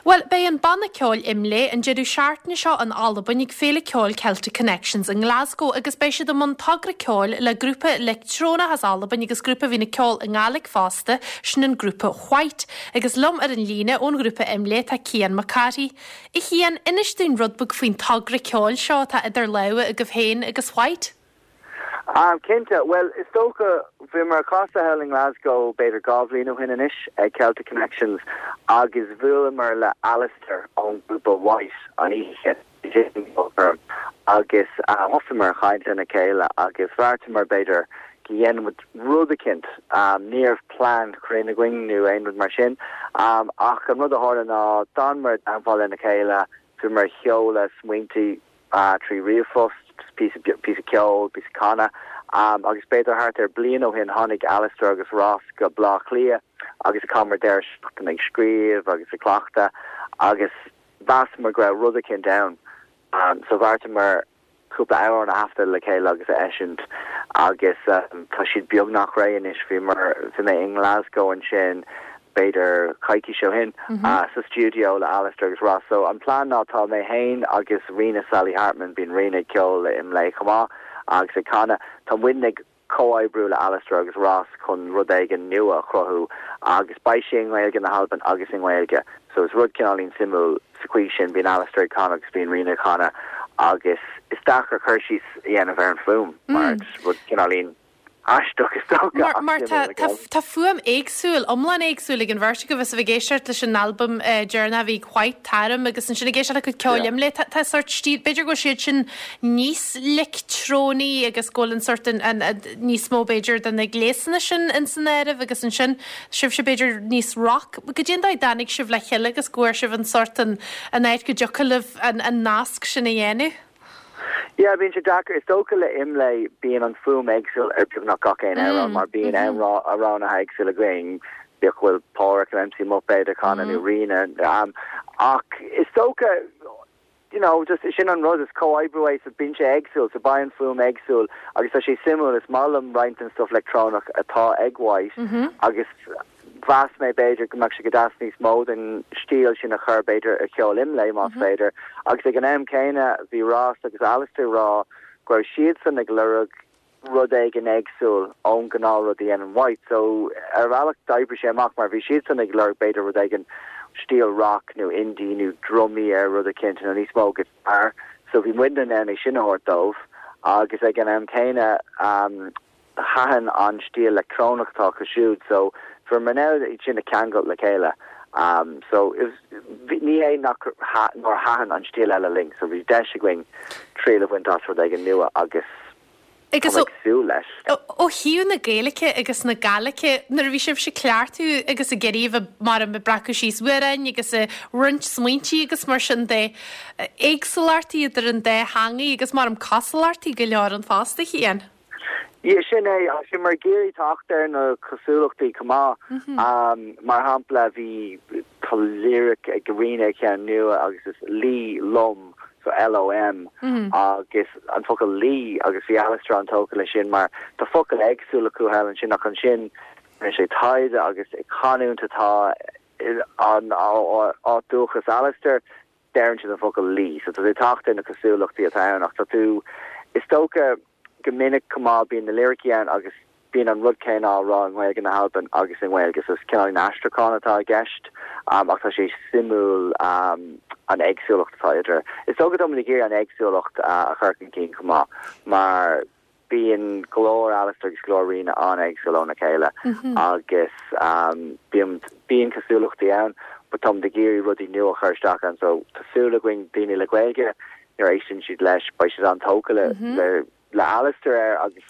Bhuel, beidh an banna ceoil Imlé an deireadh seachtaine seo in Albain ag Féile Ceoil Celtic Connections i nGlasgow agus beidh siad i mbun togra ceoil le grúpa leictreonach as Albain agus grúpa a bhíonn ag ceol i nGàidhlig fosta, sin an grúpa White. Agus liom ar an líne ón ghrúpa Imlé tá Cian Mac Cárthaigh. A Chian, inis dúinn rud beag faoin togra ceoil seo atá idir lámha agaibh féin agus White. Ah, cinnte. Bhuel, is dócha, bhíomar ag casadh thall i nGlasgow b'fhéidir 2 bhliain ó shin anois ag Celtic Connections agus bhuaileamar le Alistair ón ghrúpa White an oíche sin agus thosaíomar ag caint lena chéile agus bheartaíomar b'fhéidir go ndéanfadh muid rud eicínt. Ní raibh plean cruinn againn nó aon rud mar sin ach an rud a tharla ná d'fhanamar i dteagmháil lena chéile, bhíomar ag seoladh smaointe 3 ríomhphost, píosa, píosa ceoil, píosa canadh, agus b'fhéidir thart ar bliain ó shin tháinig Alistair agus Ross go Bleá Cliath agus chaitheamar deireadh seachtaine ag scríobh agus ag cleachtadh agus mheasamar go raibh rud eicínt ann. So bheartaíomar cúpla amhrán a thaifeadadh le chéile agus a eisiúint agus tá siad beagnach réidh anois. Bhíomar, bhí mé i nGlasgow ansin b'fhéidir coicís ó shin, sa stiúideo le Alistair agus Ross. So an plean ná tá mé fhéin agus Ríona Sally Hartman, bíonn Ríona ag ceol le Imlé chomh maith agus ag canadh, tá muidne ag comhoibriú le Alistair agus Ross chun rud éigin nua a chruthú agus beidh sé i nGaeilge na hAlban agus i nGaeilge. So is rud cineáilín suimiúil sa chaoi sin, bíonn Alistair ag canadh agus bíonn Ríona ag canadh agus is deacair cur síos a dhéanamh ar an fuaim mar rud cineáilín aisteach is dócha ach Mar tá tá fuaim éagsúil, iomlán éagsúil ag an bheirt agaibh is a bheith ag éisteacht leis an albam deireanach a bhí ag White, Tarim, agus ansin ag éisteacht le cuid ceoil Imlé. Tá tá sórt stíl, b'fhéidir go bhfuil siad sin níos leictreonaí agus go bhfuil an sórt an an níos mó b'fhéidir de na gléasanna sin in san áireamh agus ansin sibhse b'fhéidir níos rock. Goidé an dóigh a dtáinig sibh le chéile agus go bhfuair sibh an sórt an an áit go dtiocfadh libh an an nasc sin a dhéanamh? Yeah, bíonn sé deacair. Is dócha le Imlé bíonn an fuaim éagsúil ar beagnach gach aon amhrán mar bíonn amhránaithe éagsúla againn, bíodh go bhfuil Páraic nó MC Muipéad ag canadh nó Ríona. Ach is dócha, you know, just sin an rud, is comhoibriú é so bíonn sé éagsúil, so beidh an fuaim éagsúil agus tá sé suimiúil, is maith liom roinnt den stuff leictreonach atá ag White agus Mheas mé, b'fhéidir, go mbeadh sé go deas níos mó den stíl sin a chur, b'fhéidir, ar cheol Imlé, más féidir. Agus ag an am céanna, bhí Ross agus Alistair ag rá go raibh siadsan ag lorg rud éigin éagsúil ón gnáth rud a dhéanann White. So, ar bhealach, d'oibrigh sé amach mar bhí siadsan ag lorg, b'fhéidir, rud éigin stíl rock nó indie nó drumaí ar rud eicínt nó níos mó guitar. So, bhí muidne in ann é sin a thabhairt dóibh. Agus ag an am céanna, Thaitin an stíl leictreonach atá acu siúd so bhíomar in ann iad sin a cheangal le chéile so it was ní hé nach nár thaitin an stíl eile linn so bhí deis againn triail a bhaint as rud éigin nua agus tá mé ag súil leis. Ó thaobh na Gaeilge agus na Gàidhlige, nuair a bhí sibhse ag cleachtadh agus ag iarraidh a bheith mar ag breacadh síos amhráin agus ag roinnt smaointí agus mar sin de, éagsúlachtaí idir an dá theangaidh agus mar cosúlachtaí go leor ann fosta, Chian? Yeah, sin é. Agus bhíomar ag iarraidh teacht ar na cosúlachtaí chomh maith. Mar shampla, bhí, tá lyric ag Ríona ar cheann nua agus is luí lom, so L-O-M, agus an focal luí agus bhí Alistair an-tógtha leis sin mar tá focail éagsúla acu thall ansin ach ansin rinne sé taighde agus canúint atá in áit dúchas Alistair, deireann siad an focal luí. So tá tú ag teacht ar na cosúlachtaí atá ann ach tá tú, is dócha go minic chomh maith bíonn na liricí ann agus bíonn an rud céanna á rá i nGaeilge na hAlban agus i nGaeilge so is cineál aistriúchán atá i gceist ach tá sé suimiúil an éagsúlacht atá idir. Is dócha tá muid ag iarraidh an éagsúlacht a chur chun cinn chomh maith mar Bíonn glór Alistair agus glór Ríona an-éagsúil óna chéile agus bíonn bíonn cosúlachtaí ann but táimid ag iarraidh rudaí nua a chur isteach ann so tá súil againn daoine le Gaeilge nuair a éisteann siad leis beidh siad an-tógtha le le le Alistair air agus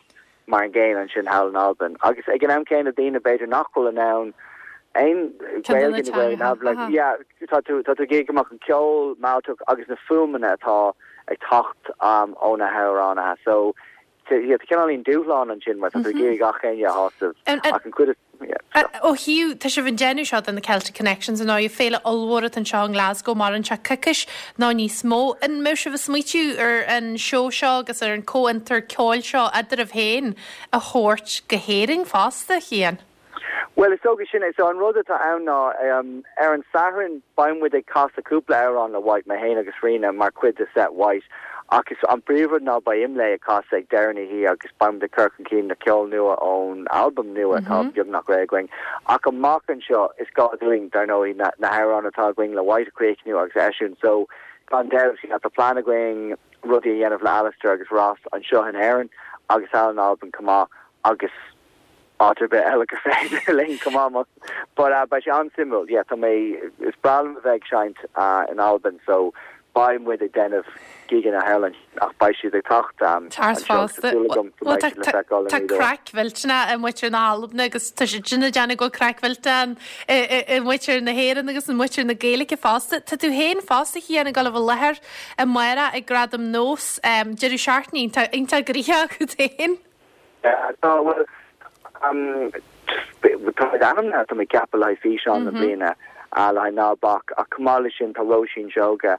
mar an gcéanna ansin thall in Albain agus ag an am céanna daoine b'fhéidir nach bhfuil in ann aon Gaeilge nó Gaeilge na Alban like yeah tá tú tá tú ag iarraidh go mbeadh an ceol mealltach agus na fuaimeanna atá ag teacht ó na hamhránaithe. So, yeah, tá cineáilín dúshlán ansin mar tá tú ag iarraidh gach éinne a shásamh ach an chuid is, yeah, so. Ó thaobh, tá sibh ag déanamh seo do na Celtic Connections ar ndóigh, féile ollmhór atá anseo i nGlasgow, maireann sé coicís nó níos mó. An mbeidh sibh ag smaoitiú ar an seó seo agus ar an comhfhiontar ceoil seo eadraibh féin a thabhairt go hÉirinn fosta, Chian? Bhuel, is dócha sin é. So an rud atá ann ná, ar an Satharn beidh muid ag casadh cúpla amhrán le White, mé féin agus Ríona, mar chuid de set White. Ach is an príomhrud ná beidh Imlé ag casadh ag deireadh na hoíche agus beidh muid ag cur chun cinn na ceol nua ón albam nua atá beagnach réidh againn. Ach amach anseo is gá dúinn, dar ndóigh, na na hamhráin atá againn le White a chríochnú agus a eisiúint. So gan dabht, yeah, tá plean againn rudaí a dhéanamh le Alistair agus Ross anseo in Éirinn agus thall in Albain chomh maith agus áit ar bith eile gur féidir linn chomh maith. But beidh sé an-suimiúil, yeah, tá mé, is breá liom a bheith ag seinnt in Albain so beidh muid ag déanamh gigeanna thall ansin ach beidh siad ag teacht anseo agus tá súil agam go mbeidh siad le feiceáil i Tá craic mhillteanach i muintir na hAlban agus tá siad sin ag déanamh go bhfuil craic mhillteanach i muintir na hÉireann agus i muintir na Gaeilge fosta. Tá tú féin fosta, a Chian, ag dul a bheith i láthair amárach ag Gradaim Nós, deireadh seachtaine iontach iontach gnoitheach agat féin. Tá, bhuel, tá muid ainmnithe, tá mé ag ceapadh le haghaidh físeán na bliana, le haghaidh Ná Bac, ach chomh maith leis sin tá Róisín Seoige,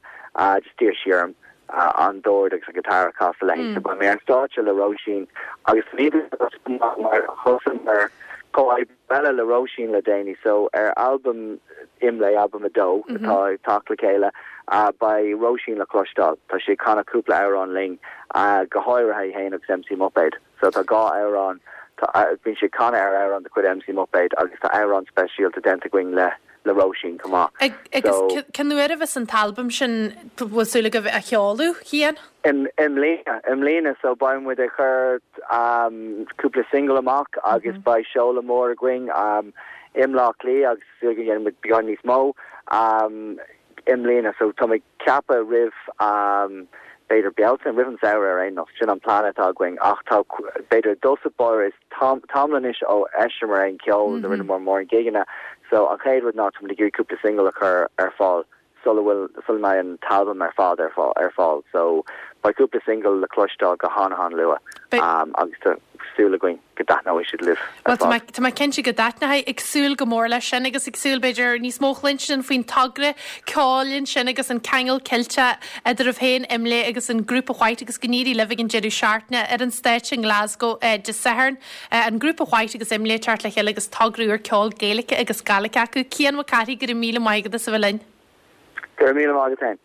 just d'iarr sí orm an dord agus an guitar a chasadh léi, so beidh mé ar stáitse le Róisín agus mar thosaíomar comhoibriú eile le Róisín le déanaí so ar albam Imlé, albam 2 atá ag teacht le chéile, beidh Róisín le cloisteáil. Tá sí ag canadh cúpla amhrán linn, go háirithe í féin agus MC Muipéad. So tá dhá amhrán, bíonn sí ag canadh ar amhrán de chuid MC Muipéad agus tá amhrán speisialta déanta againn le le Róisín chomh maith. Agus cén uair a bheas an t-albam sin, bhfuil súil agaibh a sheoladh, Cian? I mbliana, i mbliana, so beidh muid ag cur cúpla single amach agus beidh seoladh mór againn i mBleá Cliath agus súil go ndéanfaidh muid beagán níos mó i mbliana. So tá mé ag ceapadh roimh b'fhéidir Bealtaine, roimh an samhradh ar aon nós, sin an plean atá againn ach tá b'fhéidir i dtosach báire is tamall anois ó eisíomar aon cheol nó rinneamar mórán gigeanna so an chéad rud ná tá muid ag iarraidh cúpla single a chur ar fáil sula bhfuil sula mbeidh an t-albam ar fad ar ar fáil so beidh cúpla single le cloisteáil go han-han-luath agus tá súil againn go dtaitneoidh siad libh ar fad. Bhuel tá mé cinnte go dtaitneoidh, ag súil go mór leis sin agus ag súil b'fhéidir níos mó a chluinstin faoin togra ceoil ansin agus an ceangal Ceilteach eadraibh féin, Imlé agus an grúpa White agus go n-éirí libh ag an deireadh seachtaine ar an stáitse i nGlasgow Dé Sathairn. An grúpa White agus Imlé ag teacht le chéile agus togra úr ceoil Gaeilge agus Gàidhlig acu. Cian Mac Cárthaigh, go raibh míle maith agat as a bheith linn. Go raibh míle maith agat féin.